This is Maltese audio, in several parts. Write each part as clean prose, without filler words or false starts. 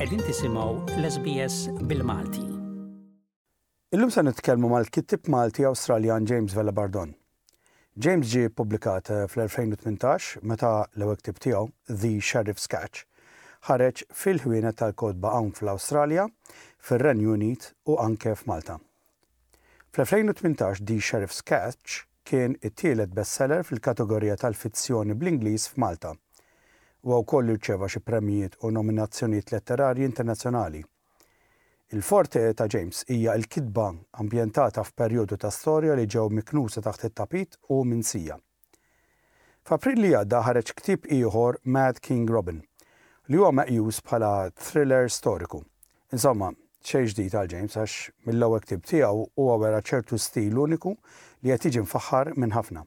Qegħdin tisimgħu l-SBS bil-Malti. Illum se nitkellmu mal-kittieb Malti Awstraljan James Vella Bardon. James ġie ppubblikat fl-2018 meta l-ewwel ktieb tiegħu, The Sheriff's Catch, ħareġ fil-ħwienet tal-kotba hawn fl-Awstralja, fir-Renju Unit u anke f'Malta. Fl-2018 The Sheriff's Catch kien it-tielet bestseller fil-kategorija tal-fizzjoni bl-Ingliż f'Malta. Huwa wkoll irċieva xi premjijiet u nominazzjonijiet letterarji internazzjonali. Il-forte ta' James hija l-kitba ambjentata f'perjodu ta' storja li ġew miknusa taħt it-tapit u minsija. F'April li għadda ħareġ ktieb ieħor Mad King Robin, li huwa meqjus bħala thriller storiku. Insomma, xejn ġdid għal James għax mill-ewwel ktieb tiegħu huwa wera ċertu stil uniku li qed jiġi mfaħħar minn ħafna.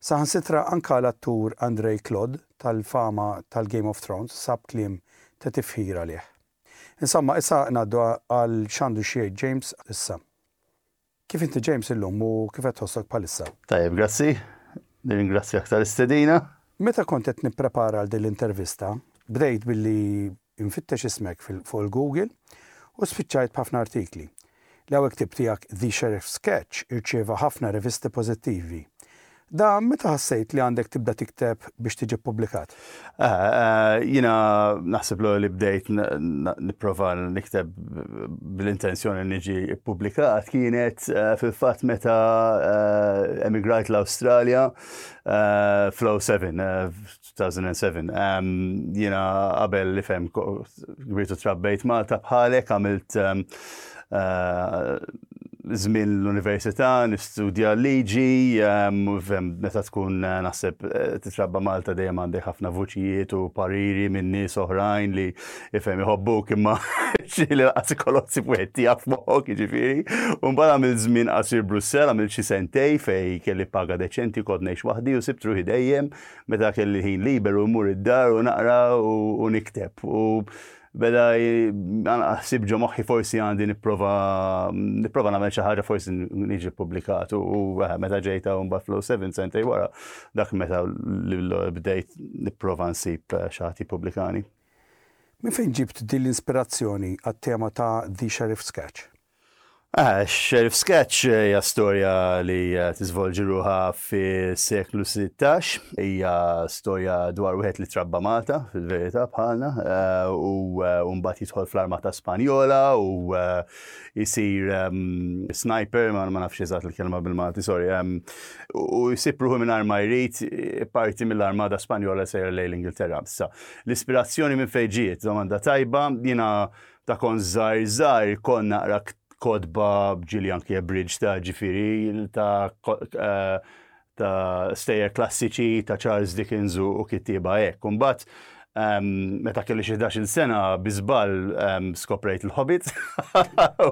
Saħansitra anka l-attur Andrei Claude tal-fama tal-Game of Thrones sab kliem ta' tifħir għalih. Insomma, issa ngħaddu għal x'għandu xi jgħid James issa. Kif inti James illum u kif qed tħossok bħalissa? Tajjeb, grazzi. Nirringrazzjak tal-istedina. Meta kont qed nipprepara għal din l-intervista, bdejt billi nfittex ismek fuq il-Google u spiċċajt b'ħafna artikli. L-ewwel ktieb tiegħek The Sheriff's Sketch irċieva ħafna rivisti pożittivi. Dan meta ħassejt li għandek tibda tikteb biex tiġi ppubblikat? Jiena naħseb l li bdejt nipprova nikteb bl-intenzjoni niġi ppubblikat kienet eh, fil-fatt meta eh, emigrajt l-Awstralja eh, fl-07, 2007. Jiena qabel li fem kbirtu trabbejt Malta bħalek għamilt eh, żmien l-università, nistudja liġi, meta tkun eh, naħseb eh, titrabba Malta dejjem għandek ħafna vuċijiet u pariri minn nies oħrajn li ifhem iħobbuk imma xi li laqas ikollok wieħed tiegħek f'moħħok jiġifieri. U mbagħad għamilt żmien qasir Brussell, għamilt xi sentej fej kelli paga deċenti kont ngħix waħdi u sibt ruħi dejjem Meta kelli ħin liberu mmur id-dar u naqra u nikteb. U beda ħsib ġo moħħi forsi għandi nipprova nipprova nagħmel xi ħaġa forsi niġi ppubblikat u eh, meta ġejta u mbagħad flow 7 sentej wara dak meta bdejt nipprova nsib eh, xi ħadd jippubblikani. Minn fejn ġibt din l-inspirazzjoni għat-tema ta' The Sheriff's Sketch? Ah, Sheriff Sketch hija storja li eh, tiżvolġi ruħha fis-seklu 16. Hija storja dwar wieħed li trabba Malta, fil-verità bħalna, eh, u eh, mbagħad jidħol fl-Armata Spanjola u jsir ehm, sniper, ma nafx eżatt il-kelma bil-Malti, sorry, ehm, u jsib ruħu mingħajr ma jrid parti mill-Armata Spanjola sejra lejn l-Ingilterra. Issa, l-ispirazzjoni minn fejn ġiet, domanda tajba, jiena Ta' kont żgħir żgħir kont naqra kotba ġieli anki bridge ta' ġifieri ta' eh, ta' stejjer klassiċi ta' Charles Dickens u kittieba hekk. Imbagħad ehm, meta kelli xi 11 sena bi żball ehm, skoprejt il-Hobbit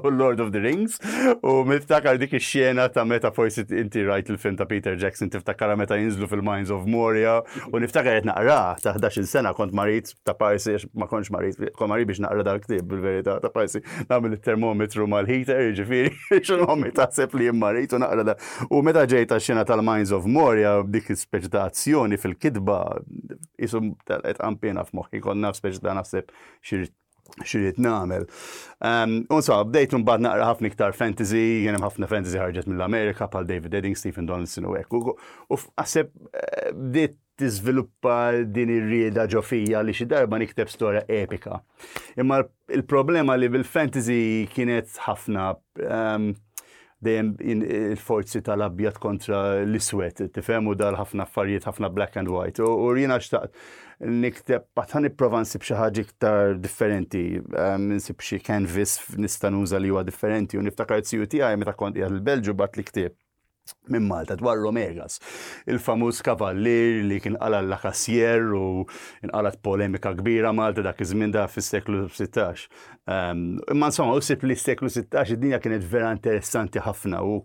u Lord of the Rings u niftakar dik ix-xena ta' meta forsi inti rajt il-film ta' Peter Jackson tiftakara meta jinżlu fil-Mines of Moria u niftakar qed naqra ta' 11 sena kont marid ta' parsi, ma kontx marid, kont marid biex naqra dal-ktieb bil-verità, ta' parsi nagħmel it-termometru mal-heater, jiġifieri, x'inhu ommi taħseb li jien marid u naqra da. U meta ġejt għax-xena tal-Mines of Moria, dik speċi ta' azzjoni fil-kitba, isu telqet qanpiena f'moħħi, kont naf speċi ta' naħseb xirrid nagħmel. Ehm, u insomma, bdejt mbagħad naqra ħafna iktar fantasy, kien hemm ħafna fantasy ħarġet mill-Amerika bħal David Edding, Stephen Donaldson u hekk. U naħseb eh, bdiet tiżviluppa din ir-rieda ġo fija li xi darba nikteb storja epika. Imma il-problema li bil-fantasy kienet ħafna ehm, dejjem il-forzi tal-abjad kontra l-iswed, tifhem u dal ħafna affarijiet ħafna black and white. U jiena xtaqt nikteb għad nipprova nsib xi ħaġa iktar differenti, ehm, nsib xi canvas nista' nuża li huwa differenti u niftakar it-tiju tiegħi meta kont qiegħed il-Belġu bat li ktieb minn Malta dwar Romegas, il-famuż kavallier li kien qala la Cassier u inqalat polemika kbira Malta dak iż-żmien da fis-seklu 16. Ehm, imma insomma, u sib li s-seklu 16 id-dinja kienet vera interessanti ħafna u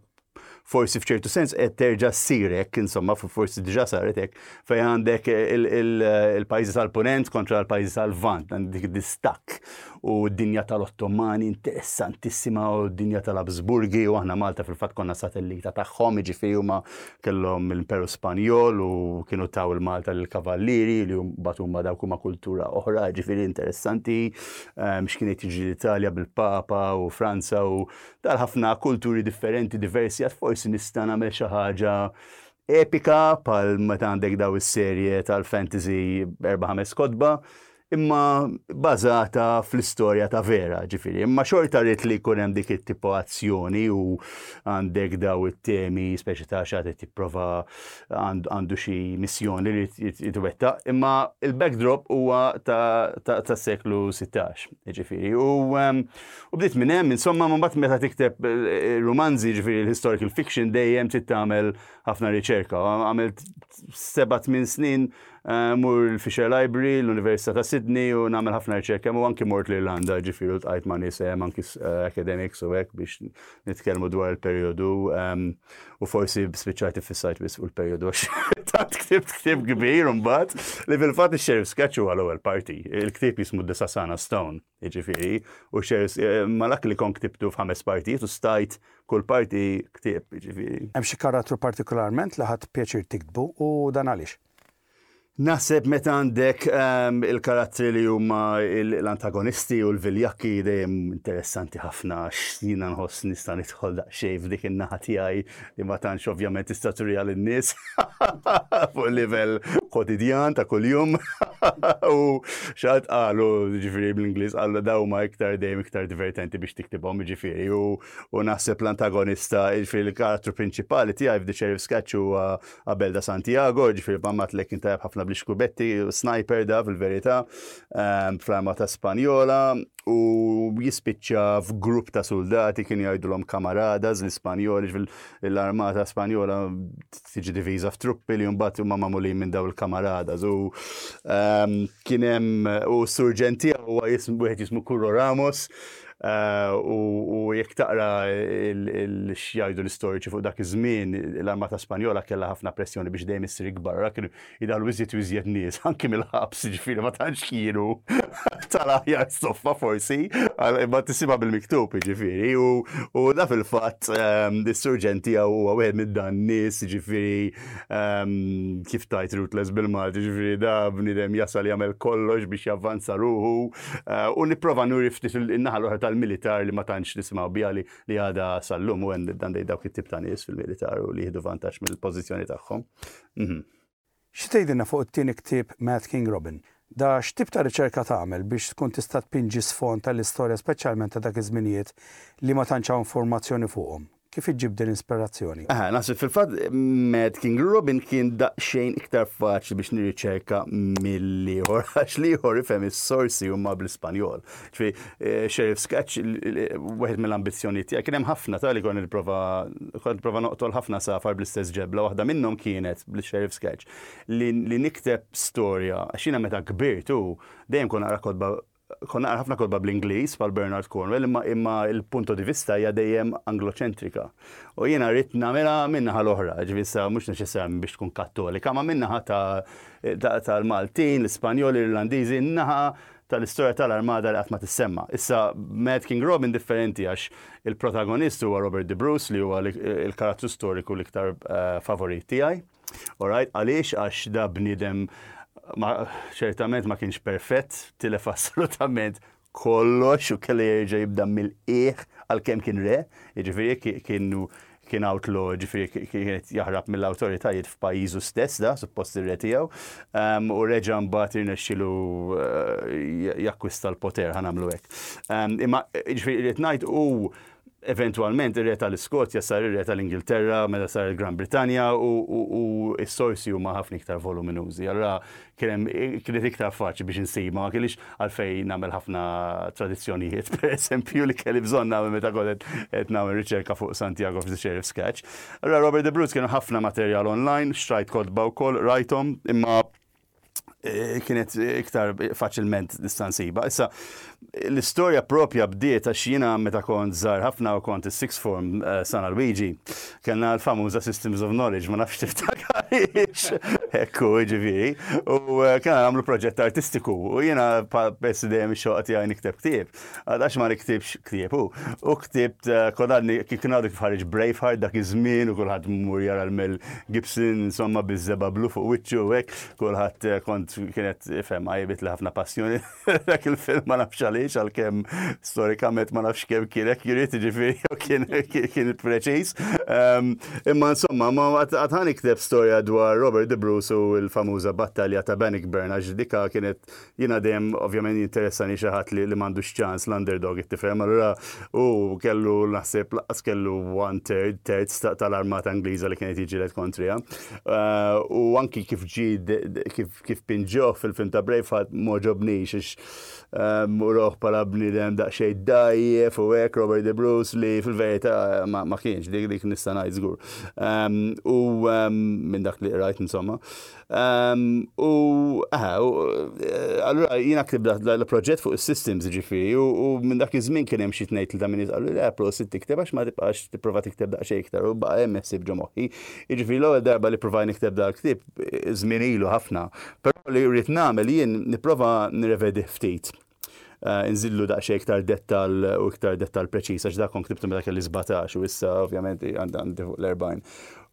forsi f'ċertu sens qed terġa' ssir hekk, insomma, forsi diġà saret hekk, fejn għandek il-pajjiżi tal-Punent kontra l-pajjiżi tal-Lvant, dik distakk u d-dinja tal-Ottomani interessantissima u d-dinja tal-Habsburgi u aħna Malta fil-fatt konna satellita tagħhom, jiġifieri huma kellhom l-Imperu Spanjol u kienu taw il-Malta lill-Kavallieri li mbagħad huma dawk huma kultura oħra, jiġifieri interessanti ehm, x'kien qed jiġri l-Italja bil-Papa u Franza u tal-ħafna kulturi differenti diversi għad forsi nista' nagħmel xi ħaġa epika pal meta għandek daw is-serje tal-fantasy erba' ħames kotba imma bażata fl-istorja ta' vera, ġifieri. Imma xorta rrid li jkun hemm dik it-tipo azzjoni u għandek daw it-temi speċi ta' xi tipprova għandu xi missjoni li jitwettaq, imma il-backdrop huwa ta' seklu 16, ġifieri. U u bdiet minn hemm, insomma, ma mbagħad meta tikteb eh, rumanzi, ġifieri l-historical fiction dejjem trid tagħmel ħafna riċerka. Għamilt 7-8 snin Eh, mur l-Fisher Library, l-Università ta' Sydney u nagħmel ħafna riċerka u anki mort l-Irlanda ġifieri u tqajt ma' nies hemm anki eh, academics u hekk biex nitkellmu dwar il-perjodu ehm, u forsi spiċċajt iffissajt biss fuq il-perjodu għax tant ktibt ktieb kbir imbagħad li fil-fatt ix-Sheriff's Sketch huwa l-ewwel parti. Il-ktieb jismu The Sasana Stone. Jiġifieri, u xers, eh, malak li kon ktibtu f'ħames partijiet u stajt kull parti ktieb, jiġifieri. Hemm xi karattru partikolarment li ħadt pjaċir tiktbu u dan għaliex? Naħseb meta għandek ehm, il-karattri li huma l-antagonisti u l-viljakki dejjem interessanti ħafna għax jiena nħoss nista' nidħol daqsxejn f'dik in-naħa tiegħi li ma tantx ovvjament tista' turiha lin-nies fuq livell kwotidjan ta' kuljum. U xaħat qalu, ġifiri bl-Ingliż, qalu daw ma iktar dejjem iktar divertenti biex tiktibhom, ġifiri, u naħseb l-antagonista, ġifiri l-karattru prinċipali tiegħi f'The Sheriff's Sketch huwa Abel da Santiago, ġifiri bammat lek kien tajjeb ħafna bl-ixkubetti, sniper da fil-verità, ehm, fl-armata Spanjola, u jispiċċa f'grupp ta' soldati kien jgħidulhom kamaradas l-Ispanjoli, l-armata Spanjola tiġi diviża f'truppi li mbagħad huma magħmulin minn daw il-kamaradas u ehm, kien hemm u s-surġent tiegħu huwa wieħed jismu Curro Ramos eh, u jekk taqra x'jgħidu l-istoriċi fuq dak iż-żmien l-armata Spanjola kellha ħafna pressjoni biex dejjem issir ikbar, kienu Idaħlu iżjed u iżjed nies, anki mill-ħabs, ġifieri ma tantx kienu tal-aħjar soffa forsi, imma tisibha bil-miktub, ġifieri, u da fil-fatt ehm, is-surġent tiegħu huwa wieħed minn dan nies, ġifieri ehm, kif tajt ruthless bil-Malti, ġifieri da bniedem jasal jagħmel kollox biex javvanza ruħu eh, u nipprova nuri ftit in-naħa l-oħra tal-militar li ma tantx nisimgħu biha li li għadha sal-lum u dan dawk it-tip ta' nies fil-militar u li jieħdu vantaġġ mill-pożizzjoni tagħhom. Mhm. Xi tgħidilna fuq it-tieni ktieb Mad King Robin? Da x'tip ta' riċerka tagħmel biex tkun tista' tpinġi sfond tal-istorja speċjalment ta' dak iż-żminijiet li ma tantx hawn informazzjoni fuqhom? Kif iġġib din l-inspirazzjoni? Aha, naħseb fil-fatt Mad King Robin kien daqsxejn iktar faċli biex nirriċerka mill-ieħor għax l-ieħor ifhem is-sorsi huma bl-Ispanjol. Ġifieri, eh, Sheriff Sketch, wieħed mill-ambizzjonijiet tiegħi kien hemm ħafna ta' li kont nipprova kont nipprova noqtol ħafna safar bl-istess ġebla, waħda minnhom kienet bl-Sheriff Sketch li, li nikteb storja għax jiena meta kbirt u dejjem kont naqra kotba kont naqra ħafna kotba bl-Ingliż bħal Bernard Cornwell imma imma il-punto di vista hija dejjem angloċentrika. U jiena rrid nagħmilha min-naħa l-oħra, ġifieri issa mhux neċessarjament biex tkun kattolika, ma min-naħa tal-Maltin, l-Ispanjoli, l-Irlandiżi, n-naħa tal-istorja tal-Armada li qatt ma tissemma. Issa, Mad King Robin differenti għax il-protagonist huwa Robert de Bruce li huwa il-karattru storiku l-iktar eh, favorit tiegħi. Alright, għaliex għax da bniedem ċertament ma kienx perfett, tilef assolutament kollox u kellu jerġa' jibda mill-qiegħ għalkemm kien re, jiġifieri kienu kien outlaw, ġifieri kien jaħrab mill-awtoritajiet f'pajjiżu stess da, suppost ir-re tiegħu, ehm, u reġa' mbagħad irnexxilu eh, jakkwista l-poter ħa nagħmlu hekk. Ehm, imma ġifieri qed ngħid u eventwalment ir-re tal-Iskozja sar ir-re tal-Ingilterra meta sar il-Gran Brittanja u s-sorsi huma ħafna iktar voluminużi. Allura kienet iktar faċli biex insib, ma kellix għalfejn nagħmel ħafna tradizzjonijiet, per eżempju, li kelli bżonn nagħmel meta kont qed nagħmel riċerka fuq Santiago of the Sheriff's Sketch. Allura Robert De Bruce kienu ħafna materjal online, xtrajt kotba wkoll, rajthom, imma Kienet iktar faċilment nista' nsibha. Issa, l-istorja propja bdiet għax jiena meta kont żgħar ħafna u kont is-sixth form San Alwiġi, kellna l-famuża Systems of Knowledge, ma nafx tiftakarhiex, hekk hu jiġifieri, u kellna nagħmlu proġett artistiku u jiena peress li dejjem ix-xewqa tiegħi nikteb ktieb, Għax ma niktibx ktieb hu. U ktibt eh, kodarni kif kien għadu kif ħareġ Braveheart dak iż-żmien u kulħadd mur jara l-Mel Gibson insomma biż-żeba blu fuq wiċċu u hekk, kulħadd eh, kont kienet ifhem għajbit li ħafna passjoni dak il-film ma nafx għaliex għalkemm storikament ma nafx kemm kien accurate ġifieri jew kien kien preċiż. Ehm, imma insomma ma għad nikteb storja dwar Robert De Bruce u l-famuża battalja ta' Bannockburn għax dika kienet Jiena dejjem ovvjament jinteressani xi ħadd li m'għandux ċans l-underdog tifhem, allura hu kellu naħseb laqqas kellu one third, terz tal-armata Ingliża li kienet jiġilet kontriha. Eh, u anki kif ġi kif pinġoh fil-film ta' Braveheart m'għoġobnix għax eh, uroh bħala bniedem daqsxejn dajjef u hekk Robert De Bruce li fil-verità ma kienx dik dik nista' ngħid żgur. Ehm, u ehm, minn dak li qrajt insomma. U allura jiena ktib l-proġett fuq is-systems ġifieri u minn dak iż-żmien kien hemm xi tnejn tlieta minn nies qalu le prosit tikteb għax ma tibqax tipprova tikteb daqsxejn iktar u baqa' hemm ħsieb ġo moħħi. Jiġifieri l-ewwel darba li ppruvajt nikteb dal-ktieb żmien ilu ħafna, però li rrid nagħmel jien nipprova nirrevedih ftit. Inżidlu daqsxejn iktar dettall u iktar dettall preċiż għax dak kont ktibtu meta kelli 17 u issa ovvjament għandi fuq l-40.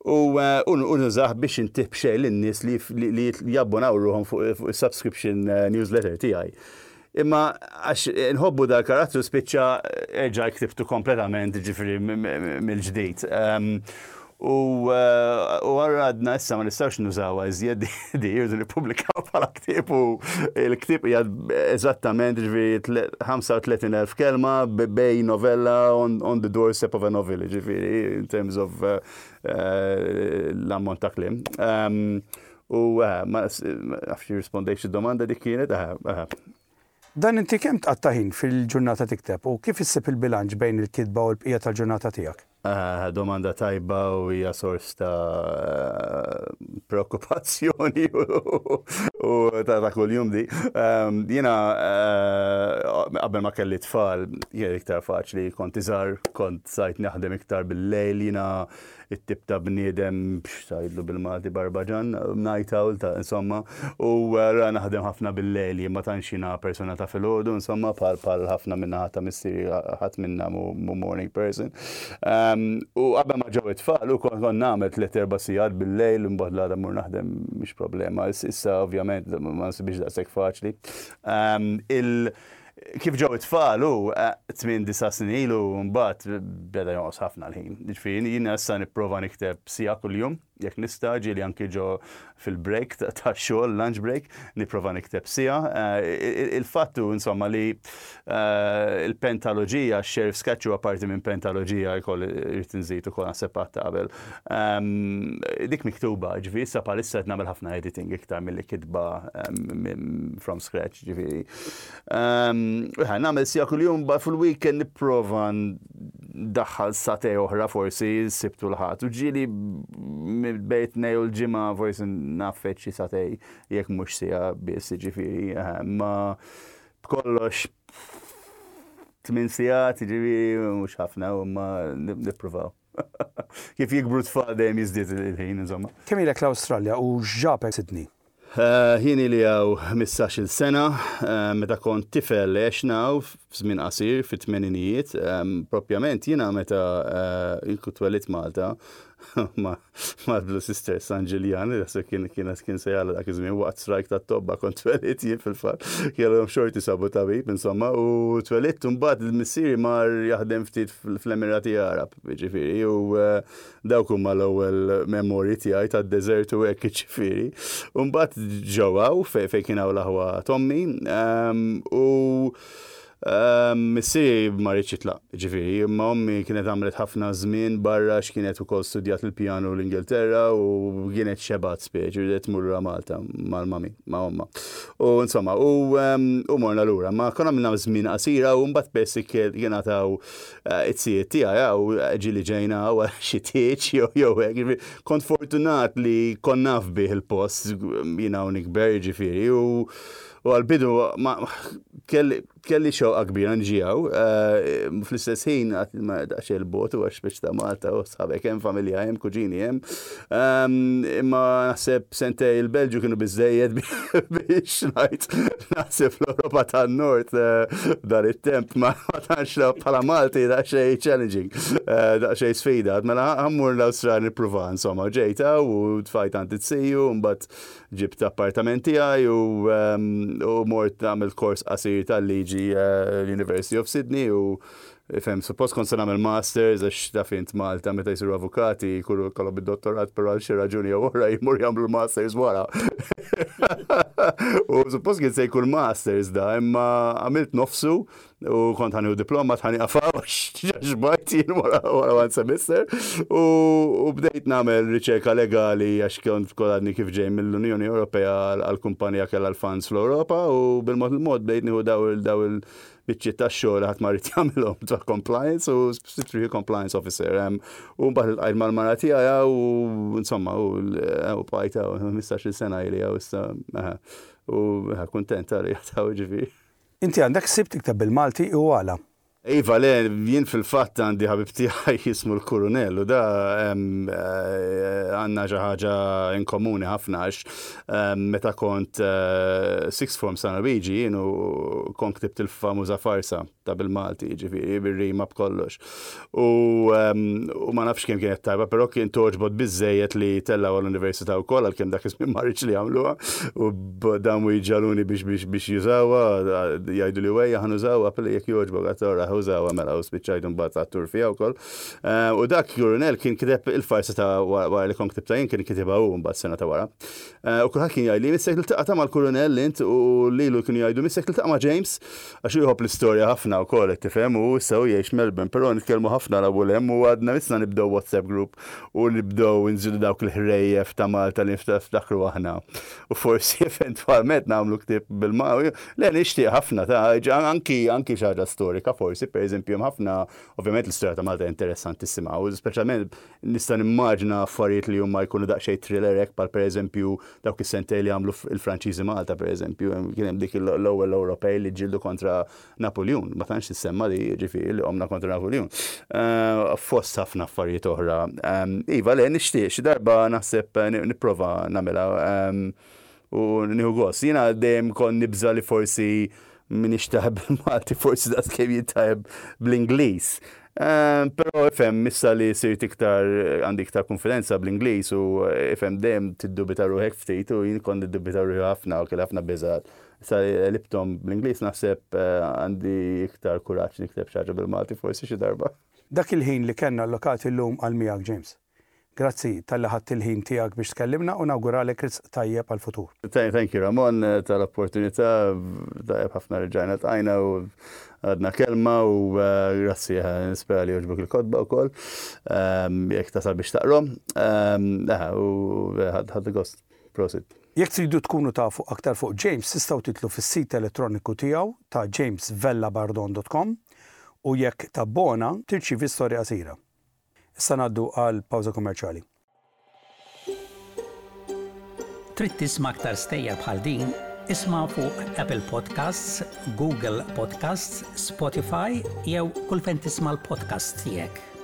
U nużah biex intih b'xejn lin-nies li jabbonaw ruħhom fuq is-subscription newsletter tiegħi. Imma għax nħobbu dal-karattru spiċċa erġa' ktibtu kompletament ġifieri mill-ġdid. U għarra għadna issa ma nistgħux nużawha iżjed di irridu nippubblikaw bħala ktieb u l-ktieb hija eżattament ġifieri 35,000 kelma bej novella on, on the doorstep of a novel, ġifieri in terms of l-ammont ta' kliem. U ma nafx rispondejx id-domanda dik kienet, Dan inti kemm tqatta' ħin fil-ġurnata tikteb u kif issib il-bilanċ bejn il-kitba u l-bqija tal-ġurnata tiegħek? Domanda tajba u hija sors ta' preokkupazzjoni u ta' ta' kuljum di. Jiena qabel ma kelli tfal, kien iktar faċli, kont iżgħar, kont sajt naħdem iktar bil-lejl, jiena it-tip ta' bniedem x'tgħidlu bil-Malti barbaġan, night owl ta' insomma, u ra naħdem ħafna bil-lejl, jien ma tantx jiena persuna ta' filgħodu, insomma, bħal bħal ħafna min-naħa ta' missieri ħadd minna mhu morning person. U qabel ma ġew it-tfal u kont kont nagħmel tliet erba' sigħat bil-lejl imbagħad l-għada mmur naħdem mhix problema. Issa ovvjament ma nsibhiex daqshekk faċli. Il Kif ġew it-tfal hu, 8-9 snin ilu mbagħad beda jonqos ħafna l-ħin. Jiġifieri jiena issa nipprova nikteb siegħa kuljum, jekk nista', ġieli anki ġo fil-break tax-xogħol, lunch break, nipprova nikteb siegħa. Il-fatt hu insomma li l-pentaloġija, x-Sheriff's Sketch huwa parti minn pentaloġija jkoll irrid inżid ukoll naħseb għadt ta' qabel. Dik miktuba, ġifieri issa bħalissa qed nagħmel ħafna editing iktar milli kitba from scratch, ġifieri. Ehm, nagħmel sija kuljum ba fil-weekend nipprova ndaħħal satej oħra forsi sibtu l-ħadd. U ġieli bejt nej u l-ġimgħa forsi nafet xi satej jekk mhux sija biss ġifieri. Ehm, ma b'kollox tmien sigħat ġifieri mhux ħafna u ma nippruvaw. Kif jikbru tfal dejjem jiżdied il-ħin, insomma. Kemm ilek l-Awstralja u x'ġabek Sydney? Jien ili hawn 15-il sena, meta kont tifel għexna hawn f'żmien qasir fit-tmeninijiet. Propjament jiena meta jien kont twelidt Malta mal-Blue Sisters San Ġiljan, naħseb kien kien kien se jagħlaq dak iż-żmien waqt strajk tat-tobba kont twelidt jien fil-fatt. Kellhom xorti sabu tabib insomma u twelidt u mbagħad missieri mar jaħdem ftit fl-Emirati Għarab, jiġifieri u Dawk huma l-ewwel memorji tiegħi tad-deżert u hekk jiġifieri. U mbagħad ġew hawn fejn kien hawn l-aħwa t'ommi u Missieri ma riedx jitlaq, ġifieri, imma ommi kienet għamlet ħafna żmien barra għax kienet ukoll studjat il-pjanu l-Ingilterra u kienet xebgħet speċi, ridet tmur lura Malta mal-mami, ma' ommha. U insomma, u, u morna lura. Ma konna għamilna żmien qasira u mbagħad peress kien għataw eh, it-sijiet tiegħi u ġieli ġejna għal xi tieġ jew jew hekk. Kont fortunat li kont naf bih il-post jiena u nikber ġifieri u U għal-bidu ma kelli kelli xewqa kbira niġi hawn, eh, fl-istess ħin għad ma daqsxejn il-bogħod u għax biex ta' Malta u sħabek hemm, familja hemm, kuġini hemm. Ehm, imma naħseb sentej il-Belġju kienu biżejjed biex ngħid naħseb l-Ewropa tan-Nord eh, dan it-temp ma tantx bħala Malti daqsxejn challenging, eh, daqsxejn sfida. Mela ħammur l-Awstralja nippruva insomma ġejta u tfajt għand it-siju mbagħad Ġibt appartament tiegħi u u mort nagħmel kors qasir tal-liġi l-University of Sydney u ifhem suppost kont se nagħmel masters għax taf int Malta meta jsiru avukati jkunu kollhom id-dottorat però għal xi raġuni jew oħra jmur jagħmlu masters wara. U suppost kien se jkun masters da, imma għamilt nofsu U kont ħa nieħu diploma ħa nieqaf hawn għax xbajt jien wara wara one semester. U bdejt nagħmel riċerka legali għax kont kol għadni kif ġej mill-Unjoni Ewropea għal kumpanija kellha l-funds fl-Ewropa u bil-mod il-mod bdejt nieħu daw il daw il-biċċiet tax-xogħol ħadd ma rid jagħmilhom ta' compliance u sirt compliance officer. U mbagħad iltqajt mal-mara tiegħi u insomma u bqajt hawn 15-il sena ili hawn issa u kuntent għalija ta' ġifieri. Inti għandek ħsieb tikteb bil-Malti u għala? Iva, le, jien fil-fatt għandi ħabib tiegħi jismu l-Kurunell u da għandna xi ħaġa in komuni ħafna għax meta kont sixth form San Luigi jien u kont ktibt il-famuża farsa ta' bil-Malti, jiġifieri bir-rima b'kollox. U ma nafx kemm kienet tajba, però kien toġbot biżejjed li tellgħu għall-università wkoll għalkemm dak iż-żmien ma rridx li jagħmluha u damu jġaluni biex biex biex jużawha, jgħidu li wejja ħa nużawha, pilli jekk jogħġbok għad ora użawha mela u spiċċajt imbagħad attur fiha wkoll. U dak Jurunel kien kiteb il-farsa ta' wara li kont ktibtha jien kien kitibha hu mbagħad sena ta' wara. U kulħadd kien jgħidli missek tiltaqa' ta' mal-Kurunell int u lilu kienu jgħidu missek tiltaqa' ma' James għax hu jħobb l-istorja ħafna wkoll qed tifhem u issa hu jgħix Melbourne però nitkellmu ħafna 'l hawn u 'l hemm u għadna missna nibdew WhatsApp group u nibdew inżidu dawk il-ħrejjef ta' Malta li niftakru aħna. U forsi eventwalment nagħmlu ktieb bil-Malti. Le nixtieq ħafna ta' anki anki xi ħaġa storika forsi, pereżempju hemm ħafna, ovvjament l-istorja ta' Malta interessantissima u speċjalment nista' nimmaġina affarijiet li huma jkunu daqsxejn thriller hekk bħal pereżempju dawk is-sentej li għamlu il-Franċiżi Malta pereżempju, kien hemm dik l-ewwel Ewropej li ġġieldu kontra Napuljun, ma tantx tissemma li ġifieri li qomna kontra Napuljun. Eh, fost ħafna affarijiet oħra. Ehm, iva, le nixtieq xi darba naħseb eh, nipprova nagħmilha ehm, u nieħu gost. Jiena dejjem kont nibża li forsi minix taħeb bil-Malti, forsi daqs kemm jittajb bl-Ingliż. Ehm, però ifhem issa li sirt iktar għandi iktar konfidenza bl-Ingliż u ifhem dejjem tiddubita ruħek ftit u jien kont niddubita ruħi ħafna u kelli ħafna biżgħat Issa li qlibthom bl-Ingliż naħseb għandi iktar kuraġġ nikteb xi ħaġa bil-Malti forsi xi darba. Dak il-ħin li kellna allokat illum għal miegħek James. Grazzi talli ħadt il-ħin tiegħek biex tkellimna u nawguralek risq tajjeb għall-futur. Thank you Ramon tal-opportunità, tajjeb ħafna li rġajna ltqajna u għadna kelma u grazzi nispera li jogħġbok il-kotba wkoll jekk tasal biex taqrahom. U ħadt gost. Prosit. Jekk tridu tkunu tafu aktar fuq James tistgħu tidħlu fis-sit elettroniku tiegħu ta' jamesvellabardon dot com u jekk tabbona tirċievi storja qasira. Issa ngħaddu għal pawża kummerċjali. Trid tisma' aktar stejjer bħal din? Isma' fuq Apple Podcasts, Google Podcasts, Spotify jew kull fejn tisma' l-podcasts tiegħek.